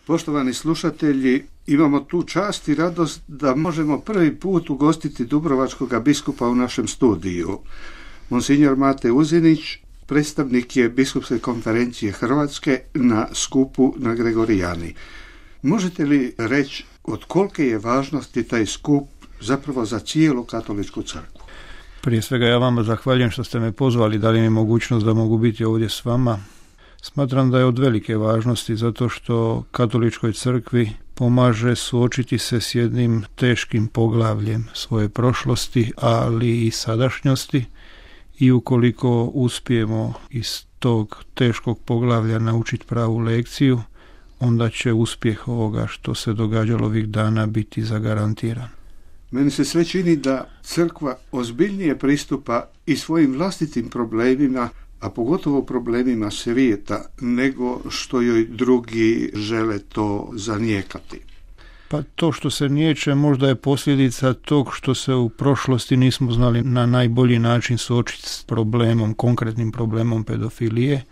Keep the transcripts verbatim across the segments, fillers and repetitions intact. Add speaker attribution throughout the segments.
Speaker 1: Poštovani slušatelji, imamo tu čast i radost da možemo prvi put ugostiti dubrovačkog biskupa u našem studiju. Monsignor Mate Uzinić, predstavnik je Biskupske konferencije Hrvatske na skupu na Gregorijani. Možete li reći od kolike je važnosti taj skup zapravo za cijelu katoličku crkvu?
Speaker 2: Prije svega ja vama zahvaljujem što ste me pozvali, dali mi mogućnost da mogu biti ovdje s vama. Smatram da je od velike važnosti zato što katoličkoj crkvi pomaže suočiti se s jednim teškim poglavljem svoje prošlosti, ali i sadašnjosti, i ukoliko uspijemo iz tog teškog poglavlja naučiti pravu lekciju, onda će uspjeh ovoga što se događalo ovih dana biti zagarantiran.
Speaker 1: Meni se sve čini da crkva ozbiljnije pristupa i svojim vlastitim problemima, a pogotovo problemima svijeta, nego što joj drugi žele to zanijekati.
Speaker 2: Pa to što se niječe možda je posljedica tog što se u prošlosti nismo znali na najbolji način suočiti s problemom, konkretnim problemom pedofilije.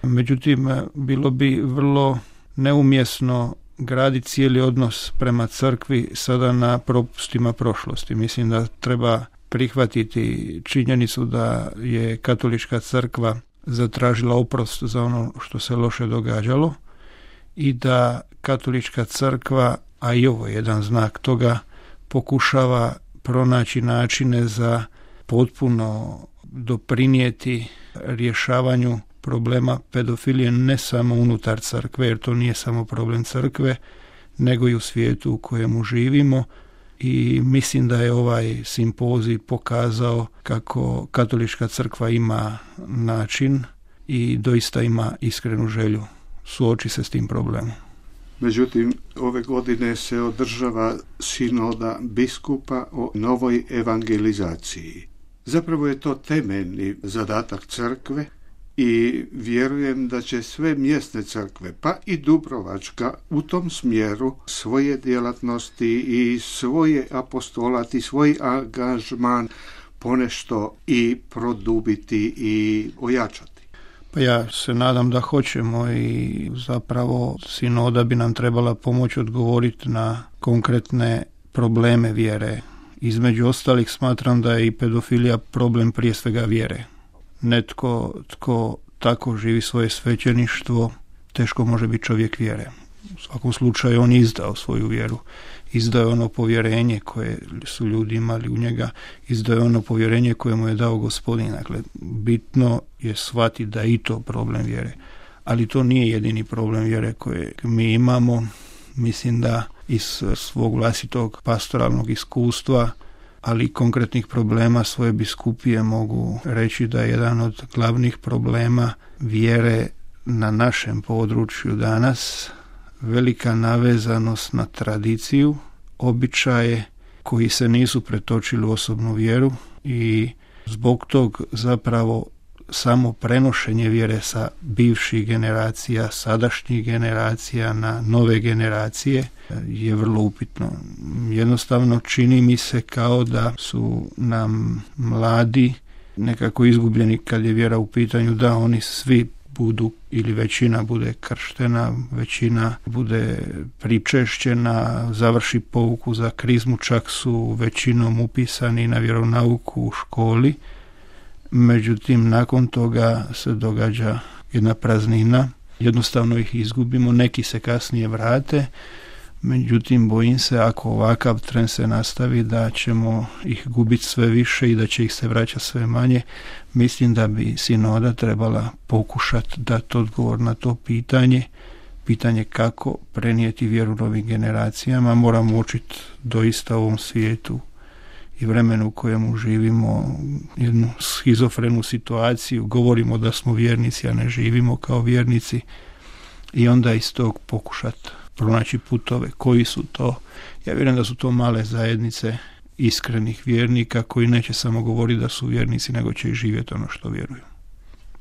Speaker 2: Međutim, bilo bi vrlo neumjesno graditi cijeli odnos prema crkvi sada na propustima prošlosti. Mislim da treba prihvatiti činjenicu da je katolička crkva zatražila oprost za ono što se loše događalo i da katolička crkva, a i ovo je jedan znak toga, pokušava pronaći načine za potpuno doprinijeti rješavanju problema pedofilije ne samo unutar crkve, jer to nije samo problem crkve, nego i u svijetu u kojemu živimo. I mislim da je ovaj simpozij pokazao kako katolička crkva ima način i doista ima iskrenu želju suoči se s tim problemom.
Speaker 1: Međutim, ove godine se održava sinoda biskupa o novoj evangelizaciji. Zapravo je to temeljni zadatak crkve i vjerujem da će sve mjesne crkve, pa i dubrovačka, u tom smjeru svoje djelatnosti i svoje apostolat i svoj angažman ponešto i produbiti i ojačati.
Speaker 2: Pa ja se nadam da hoćemo i zapravo sinoda bi nam trebala pomoći odgovoriti na konkretne probleme vjere. Između ostalih smatram da je i pedofilija problem prije svega vjere. Netko tko tako živi svoje svećeništvo, teško može biti čovjek vjere. U svakom slučaju on izdao svoju vjeru, izdao je ono povjerenje koje su ljudi imali u njega, izdao je ono povjerenje koje mu je dao Gospodin. Dakle, bitno je shvatiti da je i to problem vjere. Ali to nije jedini problem vjere koje mi imamo. Mislim da iz svog vlastitog pastoralnog iskustva, ali i konkretnih problema svoje biskupije mogu reći da je jedan od glavnih problema vjere na našem području danas velika navezanost na tradiciju, običaje koji se nisu pretočili u osobnu vjeru i zbog tog zapravo samo prenošenje vjere sa bivših generacija, sadašnjih generacija na nove generacije je vrlo upitno. Jednostavno čini mi se kao da su nam mladi nekako izgubljeni kad je vjera u pitanju, da oni svi budu ili većina bude krštena, većina bude pričešćena, završi pouku za krizmu, čak su većinom upisani na vjeronauku u školi. Međutim, nakon toga se događa jedna praznina, jednostavno ih izgubimo, neki se kasnije vrate, međutim bojim se ako ovakav trend se nastavi da ćemo ih gubiti sve više i da će ih se vraćati sve manje. Mislim da bi sinoda trebala pokušati dati odgovor na to pitanje, pitanje kako prenijeti vjeru novim generacijama. Moramo učiti doista u ovom svijetu i vremenu u kojemu živimo jednu schizofrenu situaciju, govorimo da smo vjernici, a ne živimo kao vjernici, i onda iz tog pokušati pronaći putove. Koji su to? Ja vjerujem da su to male zajednice iskrenih vjernika koji neće samo govoriti da su vjernici, nego će i živjeti ono što vjeruju.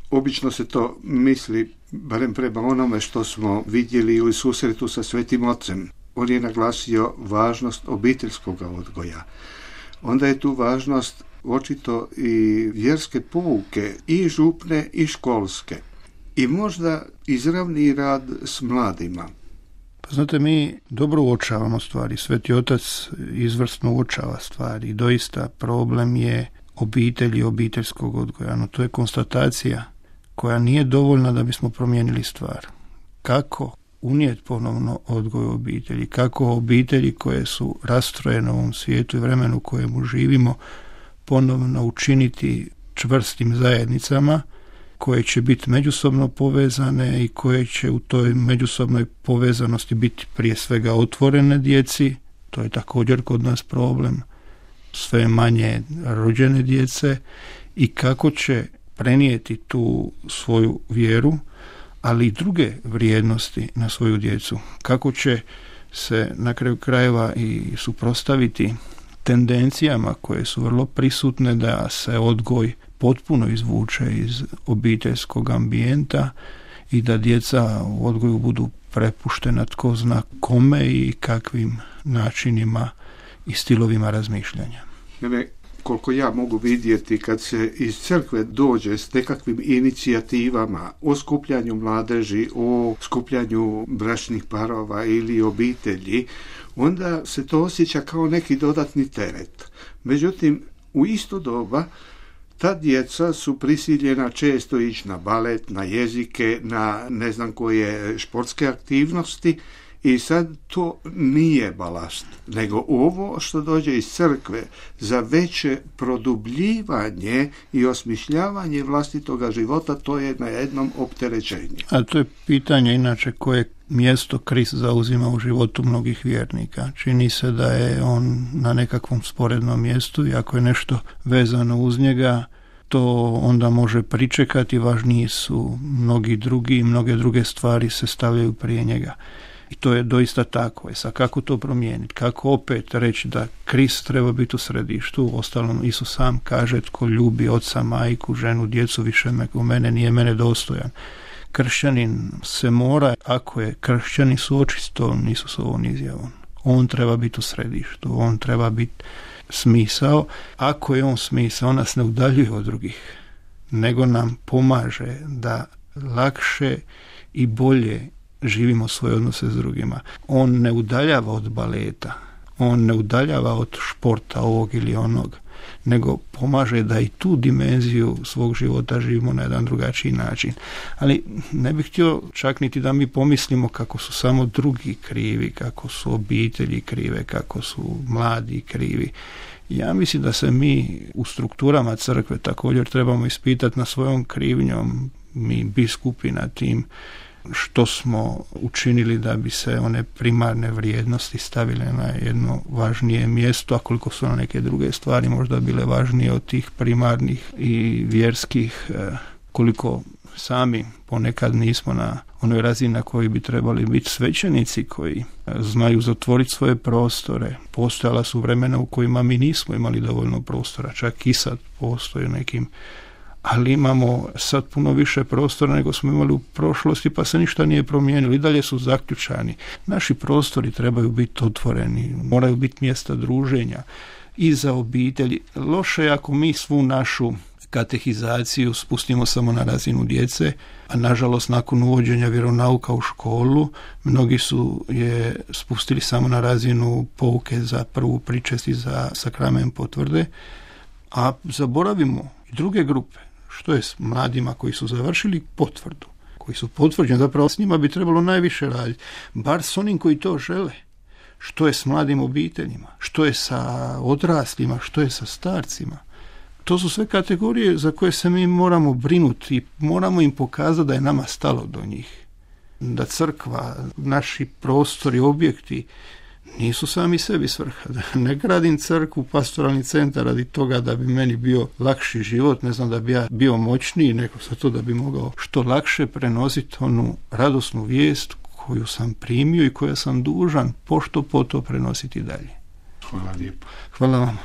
Speaker 1: Obično se to misli, barem prema onome što smo vidjeli u susretu sa Svetim Ocem. On je naglasio važnost obiteljskog odgoja. Onda je tu važnost očito i vjerske pouke, i župne i školske. I možda izravni rad s mladima.
Speaker 2: Znate, mi dobro uočavamo stvari. Sveti Otac izvrsno uočava stvari. Doista problem je obitelji i obiteljskog odgoja. No, to je konstatacija koja nije dovoljna da bismo promijenili stvar. Kako unijeti ponovno odgoj u obitelji? Kako obitelji koje su rastrojene u ovom svijetu i vremenu u kojemu živimo ponovno učiniti čvrstim zajednicama koje će biti međusobno povezane i koje će u toj međusobnoj povezanosti biti prije svega otvorene djeci. To je također kod nas problem. Sve manje rođene djece i kako će prenijeti tu svoju vjeru, ali i druge vrijednosti na svoju djecu. Kako će se na kraju krajeva i suprotstaviti tendencijama koje su vrlo prisutne da se odgoj potpuno izvuče iz obiteljskog ambijenta i da djeca u odgoju budu prepuštena tko zna kome i kakvim načinima i stilovima razmišljanja.
Speaker 1: Naime, koliko ja mogu vidjeti, kad se iz crkve dođe s nekakvim inicijativama o skupljanju mladeži, o skupljanju bračnih parova ili obitelji, onda se to osjeća kao neki dodatni teret. Međutim, u isto doba ta djeca su prisiljena često ići na balet, na jezike, na ne znam koje športske aktivnosti i sad to nije balast, nego ovo što dođe iz crkve za veće produbljivanje i osmišljavanje vlastitoga života, to je na jednom opterećenju.
Speaker 2: A to je pitanje inače koje mjesto Krist zauzima u životu mnogih vjernika. Čini se da je on na nekakvom sporednom mjestu i ako je nešto vezano uz njega, to onda može pričekati, važniji su mnogi drugi i mnoge druge stvari se stavljaju prije njega. I to je doista tako. E sad, kako to promijeniti? Kako opet reći da Krist treba biti u središtu? Ostalom, Isus sam kaže, tko ljubi oca, majku, ženu, djecu, više me, u mene nije mene dostojan. Kršćanin se mora, ako je kršćanin suočiti s tom Isusovom izjavom. On treba biti u središtu, on treba biti smisao. Ako je on smisao, on nas ne udaljuje od drugih, nego nam pomaže da lakše i bolje živimo svoje odnose s drugima. On ne udaljava od baleta, on ne udaljava od športa ovog ili onog, nego pomaže da i tu dimenziju svog života živimo na jedan drugačiji način. Ali ne bih htio čak niti da mi pomislimo kako su samo drugi krivi, kako su obitelji krive, kako su mladi krivi. Ja mislim da se mi u strukturama crkve također trebamo ispitati na svojom krivnjom, mi biskupi na tim, što smo učinili da bi se one primarne vrijednosti stavile na jedno važnije mjesto, a koliko su na neke druge stvari možda bile važnije od tih primarnih i vjerskih, koliko sami ponekad nismo na onoj razini na kojoj bi trebali biti svećenici koji znaju zatvoriti svoje prostore. Postojala su vremena u kojima mi nismo imali dovoljno prostora, čak i sad postoje nekim, ali imamo sad puno više prostora nego smo imali u prošlosti, pa se ništa nije promijenilo. I dalje su zaključani. Naši prostori trebaju biti otvoreni, moraju biti mjesta druženja i za obitelji. Loše je ako mi svu našu katehizaciju spustimo samo na razinu djece, a nažalost nakon uvođenja vjeronauka u školu, mnogi su je spustili samo na razinu pouke za prvu pričest i za sakrament potvrde, a zaboravimo i druge grupe. Što je s mladima koji su završili potvrdu, koji su potvrđeni, zapravo s njima bi trebalo najviše raditi, bar s onim koji to žele. Što je s mladim obiteljima, što je sa odraslima, što je sa starcima. To su sve kategorije za koje se mi moramo brinuti i moramo im pokazati da je nama stalo do njih. Da crkva, naši prostori, objekti nisu sami sebi svrha. Ne gradim crkvu, pastoralni centar radi toga da bi meni bio lakši život, ne znam, da bi ja bio moćniji, nego za to da bi mogao što lakše prenositi onu radosnu vijest koju sam primio i koju sam dužan pošto po to prenositi dalje.
Speaker 1: Hvala lijepo.
Speaker 2: Hvala vam.